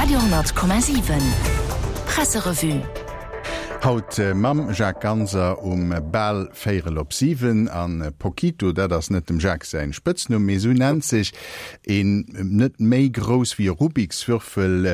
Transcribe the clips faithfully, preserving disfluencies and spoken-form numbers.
Radio honnert Komma siwen Presserevue. Haut mam Jacques Ganser um bal véierel op siwen. An Pokito, dat ass net dem Jacques säin Spëtznumm, mee esou nennt sech een net méi grouss wéi e Rubikswürfel,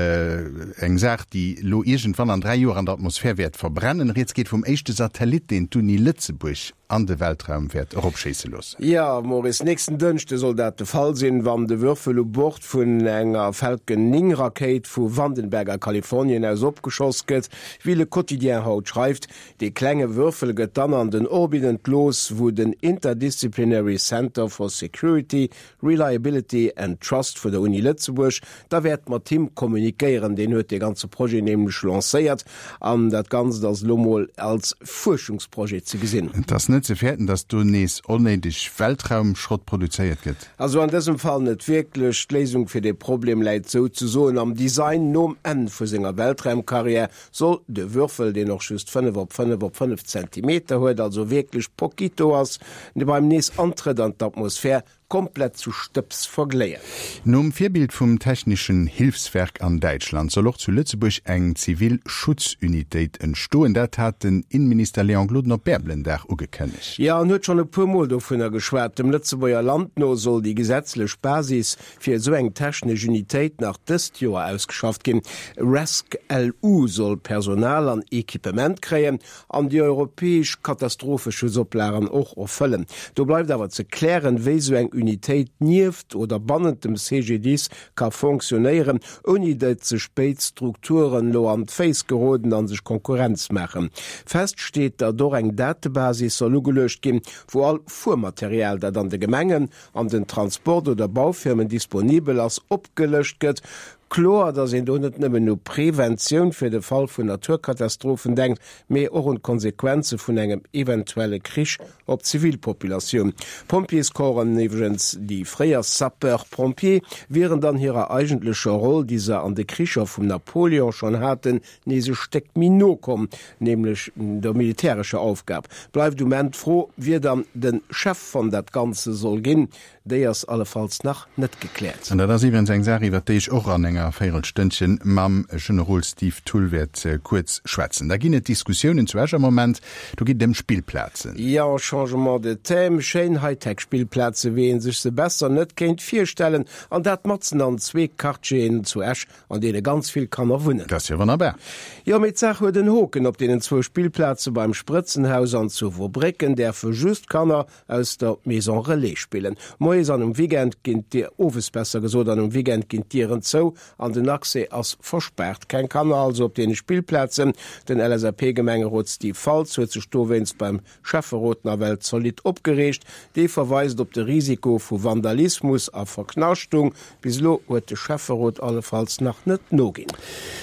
eng Saach déi elo iergendwann an dräi Joer an der Atmosphär wäert verbrennen. Rieds geet vum éischte Satellit, deen d'Uni Lëtzebuerg an de Weltraum wäert eropschéisse loossen. Jo, Maurice, nächsten Dënschde soll dat de Fall sinn, wann de Würfel u Bord vun enger Falcon néng Rakéit vu Vandenberg a Kalifornien aus opgeschoss gëtt, wéi Le Quotidien haut schreift. Dee klenge Würfel gëtt dann an den Orbit entlooss, wou den Interdisciplinary Center for Security, Reliability and Trust vun der Uni Lëtzebuerg da wäert mat him kommunikéieren. Deen huet dee ganze Projet nämlech lancéiert an dat Ganzt ass elo mol als Fuerschungsprojet ze gesinn. Et ass net ze fäerten, datt do nees onnéideg Weltraumschrott produzéiert gëtt? Also an dësem Fall net wierklech. D'Léisung fir dee Problem läit souzesoen am Design. Nom Enn vu senger Weltraumkarriär soll de Würfel, deen och just fënnef op fënnef op fënnef Zentimeter huet, also wierklech poquito ass, beim Nees-Antrëtt an d'Atmosphär komplett zu Stëbs vergléien. Nom Virbild vum Technischen Hilfswerk an Däitschland soll och zu Lëtzebuerg eng zivil Schutzunitéit entstoen. Dat hat den Innenminister Léon Gloden op Bärbelendag ugekënnegt. Jo, en huet schonn e puer Mol dovunner geschwat. Dem Lëtzebuerger Land no soll déi gesetzlech Basis fir esou eng technesch Unitéit nach dëst Joer ausgeschafft ginn. RescLU soll Personal an Equipement kréien an déi europäesch Katastropheschutzopplagen och erfëllen. Do bleift awer ze klären, wéi esou eng Unitéit nieft oder bannent dem C G D I S ka fonctionnéieren, ouni datt sech béid Strukturen elo an d'Féiss geroden a sech Konkurrenz maachen. Fest steet, datt och eng Datebasis soll ugeluecht ginn, wou all Fuermaterial, dat an de Gemengen, an den Transport oder Baufirmen disponibel ass, opgelëscht gëtt. Kloer, datt een do net nëmmen u Preventioun fir de Fall vun Naturkatastrophen denkt, mee och un d'Konsequenze vun engem eventuelle Krich op d'Zivilpopulatioun. D'Pompjeescorpsen, iwwregens déi fréier Sapeurs-pompiers, wieren dann hirer eigentlecher Roll, déi se an de Kricher vum Napoleon schonn haten, nees e Stéck méi no komm, nämlech der militärescher Aufgab. Bleift um Enn d'Fro, wie dann de Chef vun dat Ganze soll ginn. Déi ass allefalls nach net gekläert. An dat ass iwwregens eng Saach, iwwert déi ech och an enger Véierelstënnchen mam Generol Steve Thull wäert kuerz schwätzen. Da ginn et Diskussiounen zu Esch am Moment, do geet et ëm Spillplazen. Jo, changement de thème, schéin Hightech-Spillplaze wéi ee sech se besser net kéint virstellen, an dat matzen an zwee Quartieren zu Esch, an deene ganz vill Kanner wunnen. Dat ass jo wonnerbar. Jo, mee d'Saach huet en Hoken, Op deenen zwou Spillplaze beim Sprëtzenhaus an zu Wobrécken däerfe just Kanner aus der Maison Relais spillen. Moies an um Weekend ginn d'Dier, owes besser gesot, an um Weekend ginn d'Dieren zou an den Accès ass verspaart. Keng Kanner also op deene Spillplazen. Den L S A P-Gemengerot Steve Faltz huet sech dowéinst beim Schäfferot nawell zolidd opgereegt. Dee verweist op de Risiko vu Vandalismus a Verknaschtung. Bis elo huet de Schäfferot allefalls nach net noginn.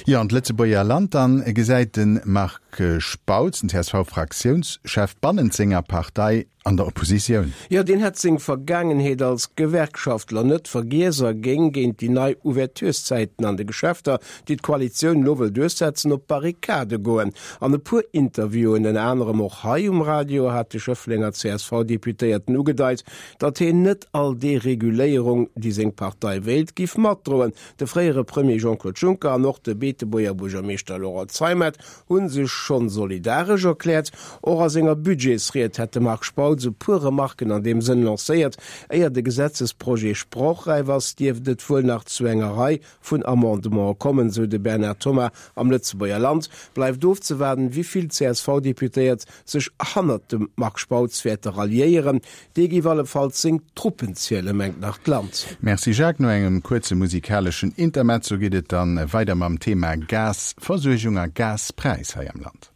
Jo, an d'Lëtzebuerger Land dann gesäit de Marc Spautz, den C S V-Fraktiounschef, bannent senger Partei an der Oppositioun. Jo, deen hätt seng Vergaangenheet als Gewerkschaftler net vergiess a géing géint déi nei Ouvertureszäiten an de Geschäfter, déi d'Koalitioun elo wëll duerchsetzen, op d'Barrikade goen. An e puer Interviewen, ënner anerem och hei um Radio, hat de Schëfflenger C S V-Deputéierten ugedeit, datt hien net all Dereguléierung, déi seng Partei wéilt, giff matdroen. De fréiere Premier Jean-Claude Juncker an och de Beetebuerger Buergermeeschter Laurent Zeimet hu sech schonn solidaresch erkläert. Och a senger Budgetsried hätt de Marc Spautz e puer Remarken an deem Sënn lancéiert. Éier de Gesetzesprojet sprochräif ass, dierft et wuel nach zu enger Rei vun Amendementen kommen, sou de Bernard Thomas am Lëtzebuerger Land. Bleift ofzewaarden, wéi vill C S V-Deputéiert sech hannert dem Marc Spautz wäerte ralliéieren. Dee géif allefalls seng Truppen zielen, mengt nach d'Land. Merci Jacques. No engem kuerze musikaleschen Intermezzo geet et dann weider mam Thema Gasversuergung a Gaspräis hei am Land.